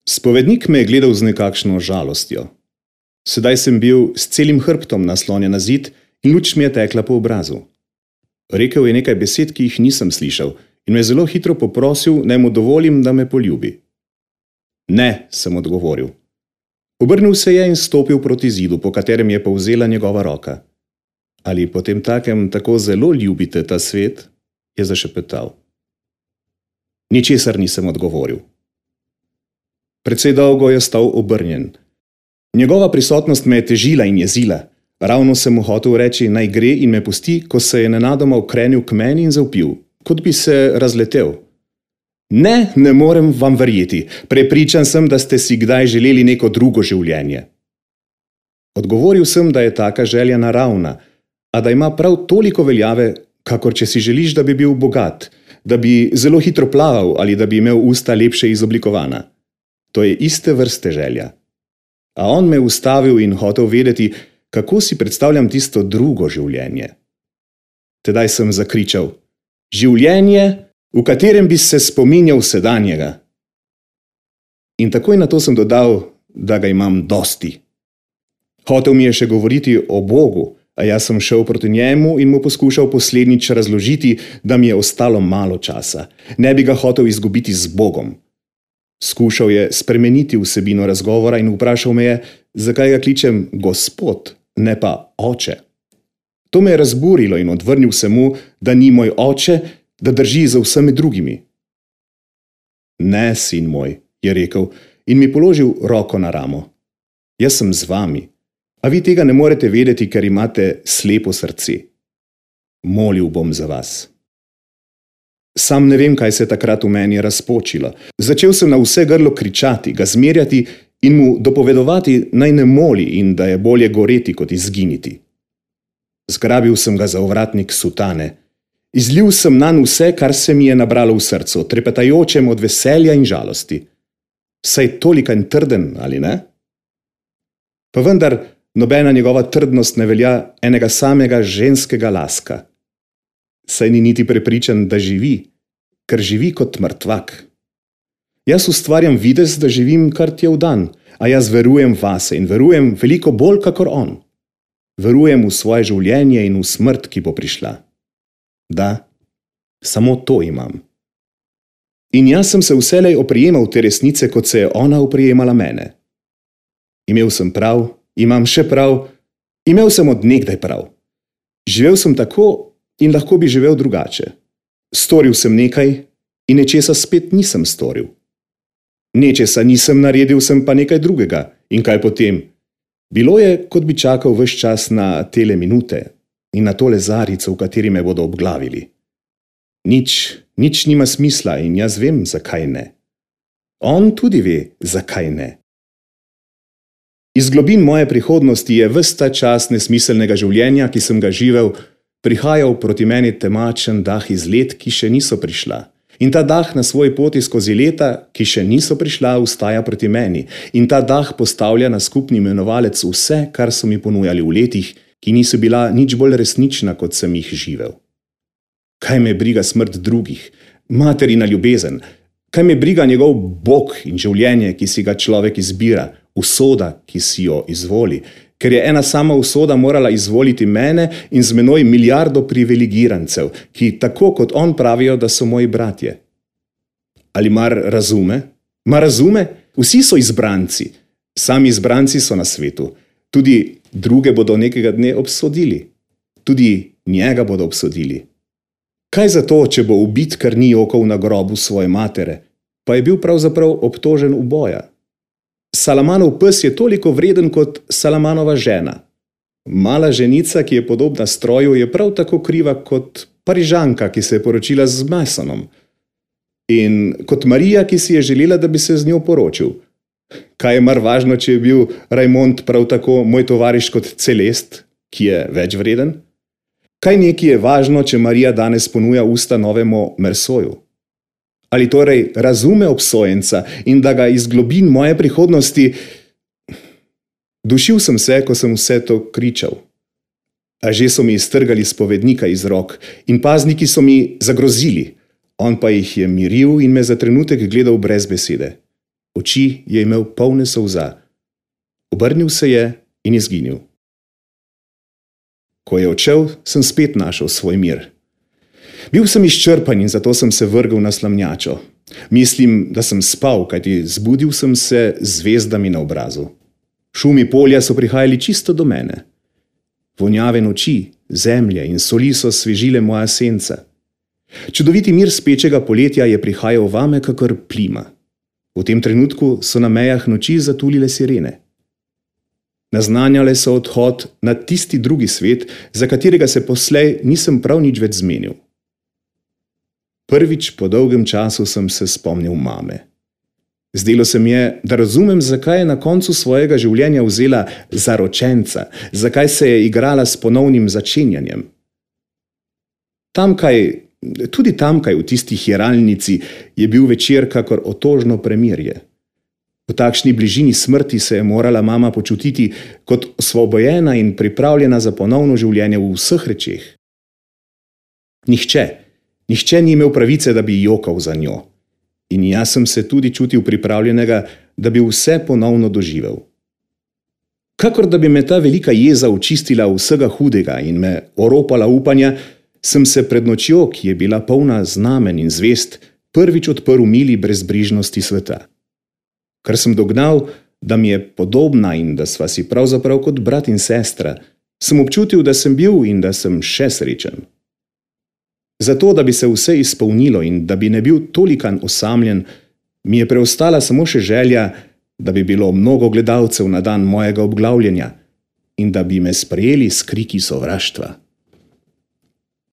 Spovednik me je gledal z nekakšno žalostjo. Sedaj sem bil s celim hrbtom naslonjen na zid in luč mi je tekla po obrazu. Rekel je nekaj besed, ki jih nisem slišal, in me zelo hitro poprosil, naj mu dovolim, da me poljubi. Ne, sem odgovoril. Obrnil se je in stopil proti zidu, po katerem je povzela njegova roka. Ali potemtakem tako zelo ljubite ta svet? Je zašepetal. Ničesar nisem odgovoril. Precej dolgo je stal obrnjen. Njegova prisotnost me je težila in jezila. Ravno sem mu hotel reči, naj gre in me pusti, ko se je nenadoma ukrenil k meni in zavpil, kot bi se razletel. Ne, ne morem vam verjeti. Prepričan sem, da ste si kdaj želeli neko drugo življenje. Odgovoril sem, da je taka želja naravna, a da ima prav toliko veljave, kakor če si želiš, da bi bil bogat, da bi zelo hitro plaval ali da bi imel usta lepše izoblikovana. To je iste vrste želja. A on me ustavil in hotel vedeti, kako si predstavljam tisto drugo življenje. Tedaj sem zakričal, življenje, v katerem bi se spominjal sedanjega. In takoj na to sem dodal, da ga imam dosti. Hotel mi je še govoriti o Bogu, a jaz sem šel proti njemu in mu poskušal poslednjič razložiti, da mi je ostalo malo časa. Ne bi ga hotel izgubiti z Bogom. Skušal je spremeniti vsebino razgovora in vprašal me je, zakaj ga kličem gospod, ne pa oče. To me je razburilo in odvrnil se mu, da ni moj oče, da drži za vsemi drugimi. Ne, sin moj, je rekel in mi položil roko na ramo. Jaz sem z vami, a vi tega ne morete vedeti, ker imate slepo srce. Molil bom za vas. Sam ne vem, kaj se je takrat v meni razpočilo. Začel sem na vse grlo kričati, ga zmerjati in mu dopovedovati, naj ne moli in da je bolje goreti, kot izginiti. Zgrabil sem ga za ovratnik sutane. Izlil sem nanj vse, kar se mi je nabralo v srcu, trepetajočem od veselja in žalosti. Saj tolikanj trden, ali ne? Pa vendar, nobena njegova trdnost ne velja enega samega ženskega laska. Saj ni niti prepričan, da živi, ker živi kot mrtvak. Jaz ustvarjam videz, da živim kar tjev dan, a jaz verujem vase in verujem veliko bolj kakor on. Verujem v svoje življenje in v smrt, ki bo prišla. Da, samo to imam. In jaz sem se vselej oprijemal te resnice, kot se je ona oprijemala mene. Imel sem prav, imam še prav, imel sem od nekdaj prav. Živel sem tako in lahko bi živel drugače. Storil sem nekaj in nečesa spet nisem storil. Nečesa nisem naredil, sem pa nekaj drugega. In kaj potem? Bilo je, kot bi čakal ves čas na tele minute in na tole zarico, v kateri me bodo obglavili. Nič nima smisla in jaz vem, zakaj ne. On tudi ve, zakaj ne. Iz globin moje prihodnosti je ves ta čas nesmiselnega življenja, ki sem ga živel, prihajal proti meni temačen dah iz let, ki še niso prišla. In ta dah na svoji poti skozi leta, ki še niso prišla, vstaja proti meni. In ta dah postavlja na skupni imenovalec vse, kar so mi ponujali v letih, ki niso bila nič bolj resnična, kot sem jih živel. Kaj me briga smrt drugih, materina ljubezen, kaj me briga njegov Bog in življenje, ki si ga človek izbira, usoda, ki si jo izvoli, ker je ena sama usoda morala izvoliti mene in z menoj milijardo privilegirancev, ki tako kot on pravijo, da so moji bratje. Ali mar razume? Mar razume? Vsi so izbranci. Sami izbranci so na svetu. Tudi druge bodo nekega dne obsodili. Tudi njega bodo obsodili. Kaj zato, če bo ubit, ker ni jokal na grobu svoje matere, pa je bil pravzaprav obtožen uboja? Salamanov pes je toliko vreden kot Salamanova žena. Mala ženica, ki je podobna stroju, je prav tako kriva kot Parižanka, ki se je poročila z Masonom. In kot Marija, ki si je želela, da bi se z njo poročil. Kaj je mar važno, če je bil Rajmond prav tako moj tovariš kot Celest, ki je več vreden? Kaj neki je važno, če Marija danes ponuja usta novemu Mersoju? Ali torej razume obsojenca in da ga iz globin moje prihodnosti... Dušil sem se, ko sem vse to kričal. A že so mi iztrgali spovednika iz rok in pazniki so mi zagrozili. On pa jih je miril in me za trenutek gledal brez besede. Oči je imel polne solza. Obrnil se je in izginil. Ko je odšel, sem spet našel svoj mir. Bil sem izčrpan in zato sem se vrgel na slamnjačo. Mislim, da sem spal, kajti zbudil sem se z zvezdami na obrazu. Šumi polja so prihajali čisto do mene. Vonjave noči, zemlje in soli so svežile moja senca. Čudoviti mir spečega poletja je prihajal vame kakor plima. V tem trenutku so na mejah noči zatulile sirene. Naznanjale so odhod na tisti drugi svet, za katerega se poslej nisem prav nič več zmenil. Prvič po dolgem času sem se spomnil mame. Zdelo se mi je, da razumem, zakaj je na koncu svojega življenja vzela zaročenca, zakaj se je igrala s ponovnim začenjanjem. Tudi tamkaj v tisti hiralnici je bil večer kakor otožno premirje. V takšni bližini smrti se je morala mama počutiti kot osvobojena in pripravljena za ponovno življenje v vseh rečeh. Nihče ni imel pravice, da bi jokal za njo. In jaz sem se tudi čutil pripravljenega, da bi vse ponovno doživel. Kakor da bi me ta velika jeza očistila vsega hudega in me oropala upanja, sem se pred nočjo, ki je bila polna znamen in zvest, prvič odprl mili brezbrižnosti sveta. Ker sem dognal, da mi je podobna in da sva si pravzaprav kot brat in sestra, sem občutil, da sem bil in da sem še srečen. Zato, da bi se vse izpolnilo in da bi ne bil tolikan osamljen, mi je preostala samo še želja, da bi bilo mnogo gledalcev na dan mojega obglavljenja in da bi me sprejeli s kriki sovraštva.